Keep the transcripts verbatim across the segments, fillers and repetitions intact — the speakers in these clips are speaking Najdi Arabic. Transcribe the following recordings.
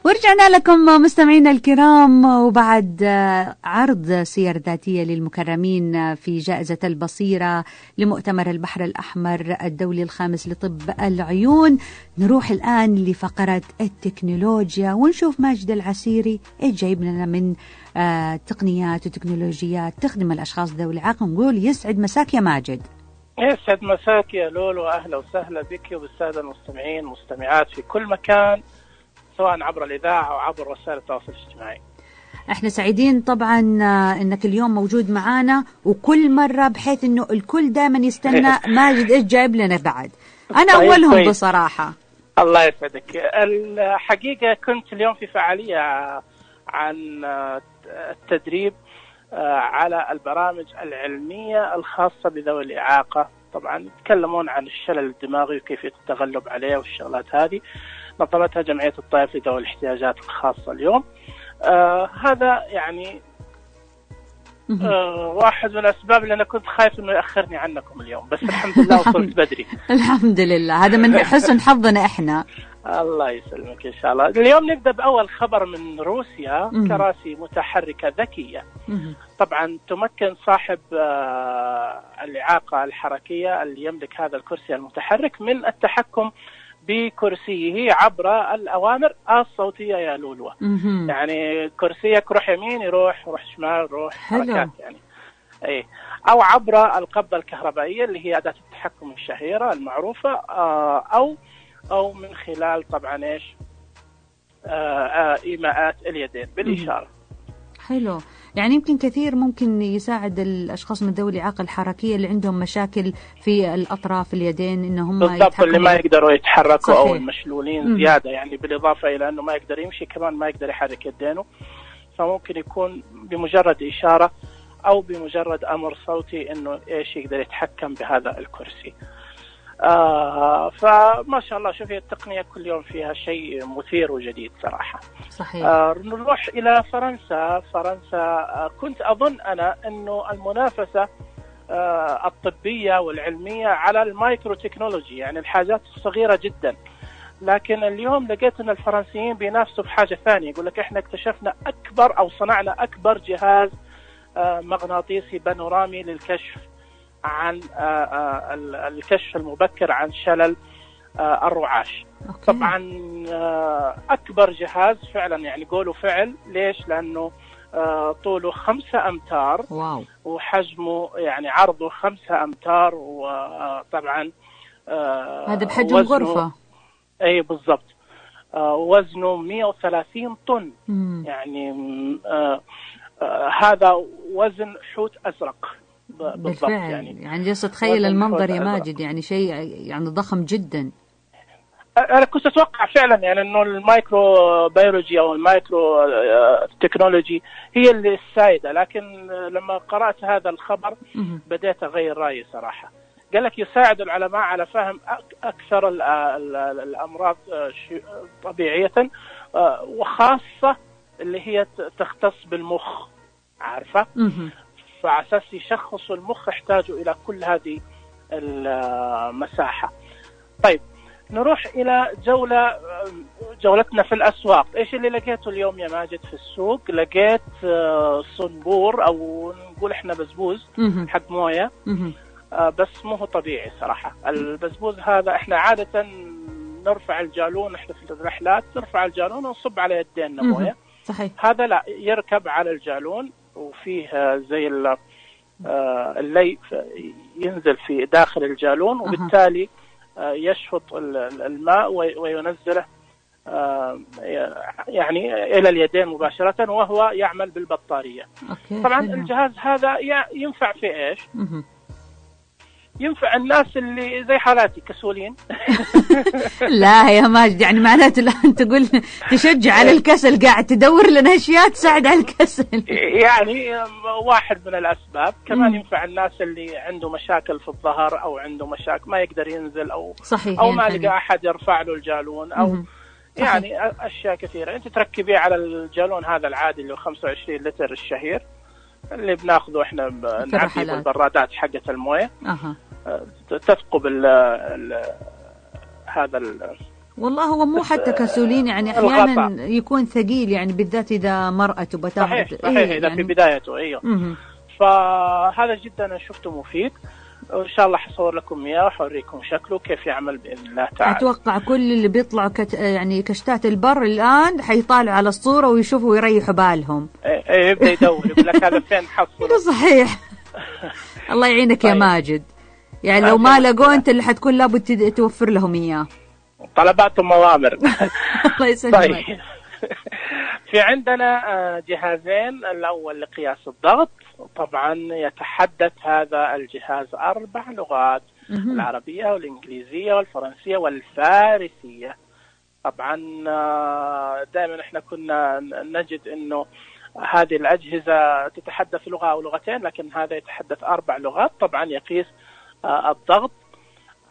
ورجعنا لكم مستمعينا الكرام، وبعد عرض سير ذاتية للمكرمين في جائزة البصيرة لمؤتمر البحر الأحمر الدولي الخامس لطب العيون، نروح الآن لفقرة التكنولوجيا ونشوف ماجد العسيري ايش جايب لنا من آه تقنيات وتكنولوجيات تخدم الأشخاص ذوي الإعاقة. نقول يسعد مساك يا ماجد. يسعد مساك يا لولو، أهلا وسهلا بك وبالسادة المستمعين والمستمعات في كل مكان، سواء عبر الإذاعة أو عبر وسائل التواصل الاجتماعي. احنا سعيدين طبعا انك اليوم موجود معانا، وكل مرة بحيث انه الكل دائما يستنى ماجد ايش جايب لنا بعد. انا اولهم طيب. بصراحة الله يسعدك. الحقيقة كنت اليوم في فعالية عن التدريب على البرامج العلمية الخاصة بذوي الإعاقة. طبعا يتكلمون عن الشلل الدماغي وكيف التغلب عليه والشغلات هذه، نظمتها جمعية الطائف لذوي الاحتياجات الخاصة اليوم. آه هذا يعني آه واحد من الأسباب اللي أنا كنت خايف إنه يأخرني عنكم اليوم، بس الحمد لله وصلت بدري. الحمد لله، هذا من حسن حظنا إحنا. الله يسلمك إن شاء الله. اليوم نبدأ بأول خبر من روسيا. كراسي متحركة ذكية طبعا تمكن صاحب آه الإعاقة الحركية اللي يملك هذا الكرسي المتحرك من التحكم بكرسيه عبر الأوامر الصوتية يا لولو. يعني كرسيك روح يمين يروح، روح شمال روح، حركات يعني أي، أو عبر القبضة الكهربائية اللي هي أداة التحكم الشهيرة المعروفة، أو أو من خلال طبعا إيش إيماءات اليدين بالإشارة. حلو، يعني يمكن كثير ممكن يساعد الأشخاص من ذوي الإعاقة الحركية اللي عندهم مشاكل في الأطراف اليدين إنهم بالضبط، اللي ما يقدروا يتحركوا. صحيح. أو المشلولين مم. زيادة، يعني بالإضافة إلى أنه ما يقدر يمشي كمان ما يقدر يحرك يدينه، فممكن يكون بمجرد إشارة أو بمجرد أمر صوتي إنه إيش يقدر يتحكم بهذا الكرسي. آه فما شاء الله، شوفي التقنية كل يوم فيها شيء مثير وجديد صراحة. صحيح. آه نروح إلى فرنسا. فرنسا آه كنت أظن أنا أنه المنافسة آه الطبية والعلمية على المايكرو تكنولوجي، يعني الحاجات الصغيرة جدا، لكن اليوم لقيت أن الفرنسيين بينافسوا بحاجة ثانية. يقول لك إحنا اكتشفنا أكبر أو صنعنا أكبر جهاز آه مغناطيسي بانورامي للكشف عن الكشف المبكر عن شلل الرعاش. أوكي. طبعا أكبر جهاز فعلا، يعني قولوا فعل. ليش؟ لأنه طوله خمسة أمتار. واو. وحجمه يعني عرضه خمسة أمتار، وطبعا هذا بحجم غرفة. أي بالضبط. وزنه مئة وثلاثين طن. مم. يعني هذا وزن حوت أزرق بالفعل. يعني يعني جالس أتخيل المنظر يا ماجد، يعني شيء يعني ضخم جدا. أنا كنت أتوقع فعلا يعني إنه المايكرو بيولوجي أو المايكرو تكنولوجي هي اللي السائدة، لكن لما قرأت هذا الخبر بدأت أغير رأيي صراحة. قال لك يساعد العلماء على فهم أكثر الأمراض طبيعية، وخاصة اللي هي تختص بالمخ، عارفة؟ فعلى أساس يشخصوا المخ يحتاجوا إلى كل هذه المساحة. طيب نروح إلى جولة جولتنا في الأسواق. إيش اللي لقيته اليوم يا ماجد في السوق؟ لقيت صنبور أو نقول إحنا بزبوز حق موية، بس مو طبيعي صراحة. البزبوز هذا إحنا عادة نرفع الجالون، إحنا في الرحلات نرفع الجالون ونصب على يدينا موية. صحيح. هذا لا، يركب على الجالون وفيه زي اللي ينزل في داخل الجالون، وبالتالي يشفط الماء وينزله يعني إلى اليدين مباشرة، وهو يعمل بالبطارية. أوكي. طبعا حلو. الجهاز هذا ينفع في إيش؟ ينفع الناس اللي زي حالاتي كسولين. لا يا ماجد، يعني معناته الآن تقول تشجع على الكسل، قاعد تدور لنا أشياء تساعد على الكسل. يعني واحد من الأسباب. كمان ينفع الناس اللي عنده مشاكل في الظهر أو عنده مشاكل ما يقدر ينزل، أو صحيح. أو ما لقى أحد يرفع له الجالون، أو مم. يعني أشياء كثيرة. أنت تركبيه على الجالون هذا العادي اللي هو خمسة وعشرين لتر الشهير اللي بناخذه إحنا نعبيه بالبرادات حقة الموية. أها. تثقب ال ال هذا ال والله هو مو حتى كسولين، يعني أحيانا الغطاء يكون ثقيل، يعني بالذات إذا مرأة تبتاخذ. صحيح صحيح إيه إذا يعني في بدايته. أيوه م- فهذا جدا أنا شفته مفيد، وإن شاء الله حصور لكم إياه وحوريكم شكله كيف يعمل بإذن الله تعالى. أتوقع كل اللي بيطلعوا كت... يعني كشتات البر الآن حيطالعوا على الصورة ويشوفوا ويريحوا بالهم. إيه إيه يبدأ يدور يقول لك هذا فين حصله. صحيح. الله يعينك طيب. يا ماجد، يعني لو ما لقوا أنت اللي حتكون لابد توفر لهم إياه. طلباتهم موامر. الله يسلمك. طيب. في عندنا جهازين، الأول لقياس الضغط، طبعا يتحدث هذا الجهاز أربع لغات، العربية والإنجليزية والفرنسية والفارسية. طبعا دائما احنا كنا نجد انه هذه الأجهزة تتحدث لغة أو لغتين، لكن هذا يتحدث أربع لغات. طبعا يقيس الضغط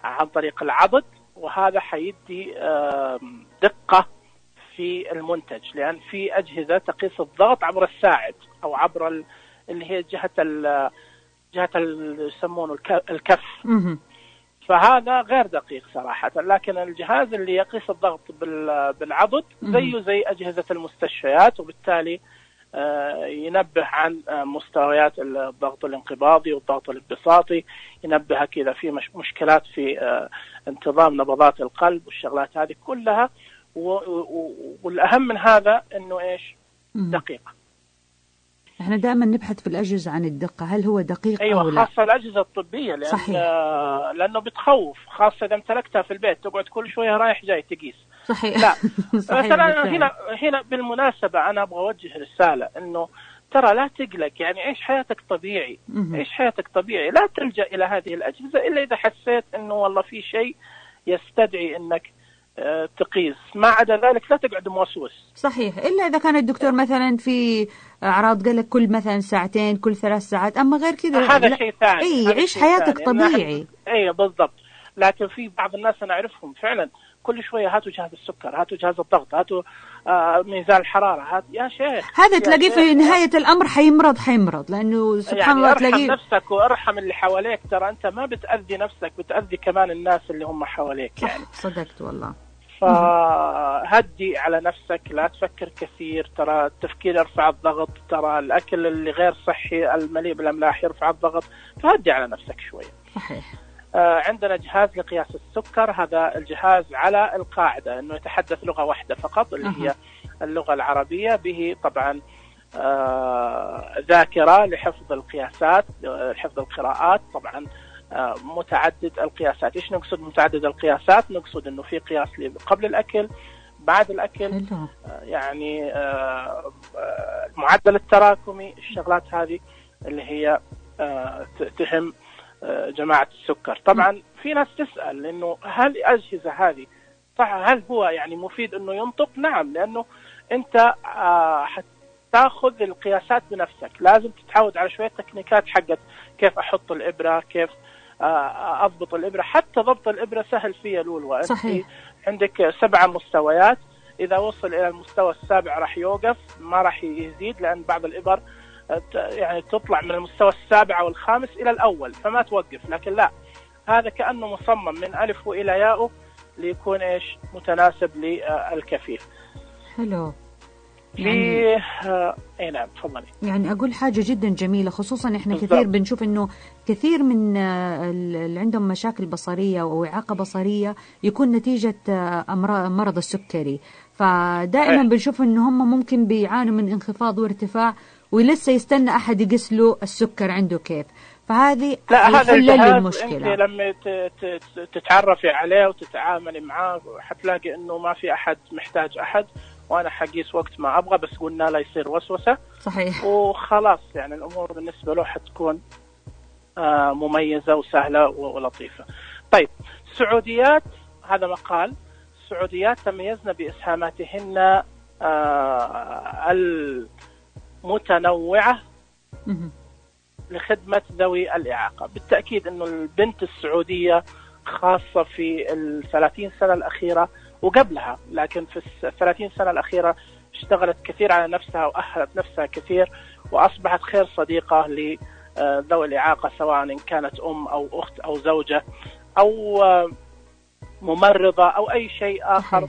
عن طريق العضد، وهذا حيدي دقة في المنتج، لأن في أجهزة تقيس الضغط عبر الساعد أو عبر اللي هي جهة ال جهة يسمونه الكف، فهذا غير دقيق صراحة. لكن الجهاز اللي يقيس الضغط بالعضد زيه زي أجهزة المستشفيات، وبالتالي ينبه عن مستويات الضغط الانقباضي والضغط الانبساطي، ينبهك إذا في مشكلات في انتظام نبضات القلب والشغلات هذه كلها. والأهم من هذا إنه إيش؟ دقيق. احنا دائما نبحث في الأجهزة عن الدقة، هل هو دقيق أيوة أو لا؟ خاصة الأجهزة الطبية، لأن صحيح. لأنه بتخوف، خاصة إذا امتلكتها في البيت تقعد كل شوية رايح جاي تقيس. صحيح. لا. صحيح. مثلا هنا هنا بالمناسبة أنا أبغى أوجه رسالة إنه ترى لا تقلق، يعني عيش حياتك طبيعي، عيش حياتك طبيعي، لا تلجأ إلى هذه الأجهزة إلا إذا حسيت إنه والله في شيء يستدعي إنك تقيس، ما عدا ذلك لا تقعد موسوس. صحيح، إلا إذا كان الدكتور مثلا في أعراض قال لك كل مثلا ساعتين كل ثلاث ساعات، أما غير كذا هذا شيء ثاني. أي عيش حياتك طبيعي. أي بالضبط. لكن في بعض الناس أنا أعرفهم فعلا كل شوية هاتوا جهاز السكر، هاتوا جهاز الضغط، هاتوا آه ميزان الحرارة، هات يا شيخ. هذا تلاقيه في نهاية الأمر حيمرض حيمرض لأنه سبحان يعني الله تلاقيه. تلاقيه. ارحم نفسك وارحم اللي حواليك، ترى أنت ما بتأذي نفسك، بتأذي كمان الناس اللي هم حواليك. يعني صدقت والله. فهدي على نفسك، لا تفكر كثير، ترى التفكير يرفع الضغط، ترى الأكل اللي غير صحي المليء بالأملاح يرفع الضغط، فهدي على نفسك شوية. صحيح. آه عندنا جهاز لقياس السكر، هذا الجهاز على القاعدة أنه يتحدث لغة واحدة فقط اللي هي اللغة العربية، به طبعا آه ذاكرة لحفظ القياسات، حفظ القراءات، طبعا آه متعدد القياسات. إيش نقصد متعدد القياسات؟ نقصد أنه في قياس قبل الأكل، بعد الأكل، آه يعني آه المعدل التراكمي، الشغلات هذه اللي هي آه تهم جماعة السكر. طبعا في ناس تسأل إنه هل الأجهزة هذه صح، هل هو يعني مفيد إنه ينطق؟ نعم، لأنه أنت حتاخذ القياسات بنفسك، لازم تتعود على شوية تكنيكات حقت كيف أحط الإبرة، كيف أضبط الإبرة. حتى ضبط الإبرة سهل فيه لولو. صحيح. عندك سبعة مستويات، إذا وصل إلى المستوى السابع راح يوقف، ما راح يزيد، لأن بعض الإبر يعني تطلع من المستوى السابع والخامس إلى الأول فما توقف. لكن لا، هذا كأنه مصمم من ألف وإلى ياء ليكون إيش متناسب للكفيف. حلو. يعني آه... اي نعم تفضلي. يعني اقول حاجه جدا جميله، خصوصا احنا بالضبط. كثير بنشوف انه كثير من اللي عندهم مشاكل بصريه او اعاقه بصريه يكون نتيجه مرض السكري، فدائما أيه. بنشوف انه هم ممكن بيعانوا من انخفاض وارتفاع ولسه يستنى احد يقيس له السكر عنده كيف. فهذه حل المشكله. انت لما تتعرفي عليه وتتعاملي معاه حتلاقي انه ما في احد محتاج احد، وانا حقيس وقت ما ابغى، بس قلنا لا يصير وسوسه. صحيح. وخلاص يعني الامور بالنسبه له حتكون آه مميزه وسهله ولطيفه. طيب السعوديات، هذا مقال، السعوديات تميزن باسهاماتهن آه المتنوعه لخدمه ذوي الاعاقه. بالتاكيد انه البنت السعوديه خاصه في الثلاثين سنه الاخيره وقبلها، لكن في الثلاثين سنة الأخيرة اشتغلت كثير على نفسها وأهلت نفسها كثير، وأصبحت خير صديقة لذوي الإعاقة، سواء إن كانت أم أو أخت أو زوجة أو ممرضة أو أي شيء آخر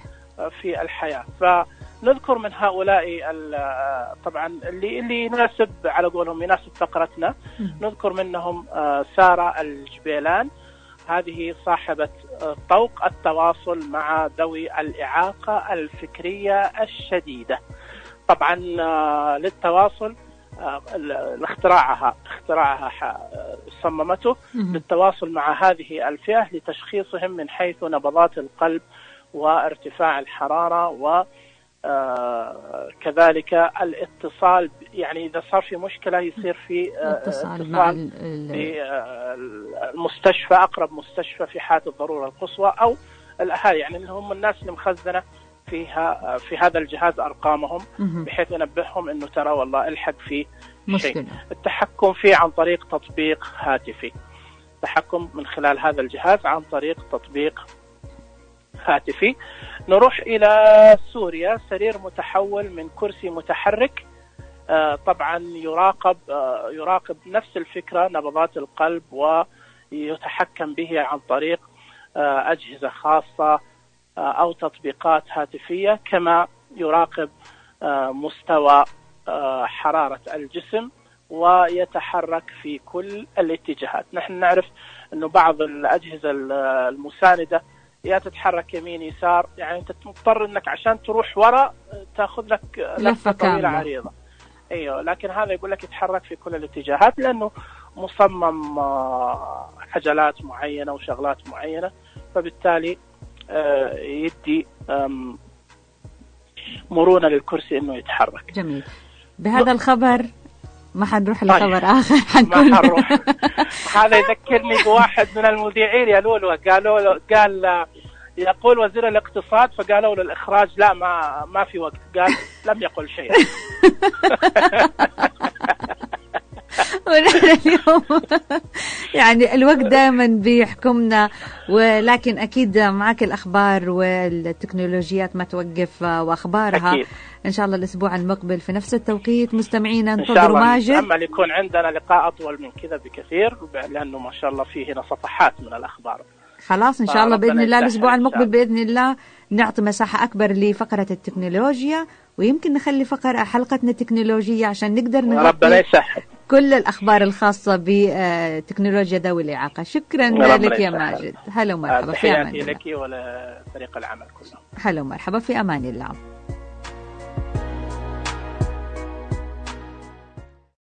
في الحياة. فنذكر من هؤلاء طبعا اللي اللي يناسب على قولهم يناسب فقرتنا، نذكر منهم سارة الجبيلان، هذه صاحبة طوق التواصل مع ذوي الإعاقة الفكرية الشديدة. طبعا للتواصل اختراعها اختراعها صممته للتواصل مع هذه الفئة لتشخيصهم من حيث نبضات القلب وارتفاع الحرارة وكذلك الاتصال، يعني إذا صار في مشكلة يصير في اتصال مع في المستشفى، أقرب مستشفى في حالة الضرورة القصوى، أو الأهالي يعني اللي هم الناس اللي مخزنة فيها في هذا الجهاز أرقامهم بحيث ينبههم إنه ترى والله الحق في شيء. التحكم فيه عن طريق تطبيق هاتفي، التحكم من خلال هذا الجهاز عن طريق تطبيق هاتفي. نروح إلى سوريا، سرير متحول من كرسي متحرك، آه طبعا يراقب آه يراقب نفس الفكرة نبضات القلب ويتحكم به عن طريق آه أجهزة خاصة آه أو تطبيقات هاتفية، كما يراقب آه مستوى آه حرارة الجسم ويتحرك في كل الاتجاهات. نحن نعرف أنه بعض الأجهزة المساندة يا تتحرك يمين يسار، يعني أنت مضطر أنك عشان تروح وراء تأخذ لك لفة طويلة عريضة. أيوه، لكن هذا يقول لك يتحرك في كل الاتجاهات لأنه مصمم حجلات معينة وشغلات معينة، فبالتالي يدي مرونة للكرسي أنه يتحرك. جميل. بهذا الخبر ما حنروح لخبر طيب. آخر حنكون ما حنروح. هذا يذكرني بواحد من المذيعين يا لولو، قالوا له قال يقول وزير الاقتصاد، فقالوا له الإخراج لا ما ما في وقت، قال لم يقل شيء. اليوم يعني الوقت دائما بيحكمنا، ولكن أكيد معك الأخبار والتكنولوجيات ما توقف وأخبارها أكيد. إن شاء الله الأسبوع المقبل في نفس التوقيت مستمعينا انتظروا ماجد. أما يكون عندنا لقاء أطول من كذا بكثير، لأنه ما شاء الله فيه هنا صفحات من الأخبار. خلاص إن شاء الله بإذن الله الأسبوع المقبل بإذن الله نعطي مساحة أكبر لفقرة التكنولوجيا، ويمكن نخلي فقرة حلقتنا التكنولوجية عشان نقدر نغطي كل الأخبار الخاصة بتكنولوجيا ذوي الإعاقة. شكرا لك يا ماجد. هلا ومرحبا في أمان الله. تحياتي لك ولفريق العمل كله. هلا ومرحبا في أمان الله.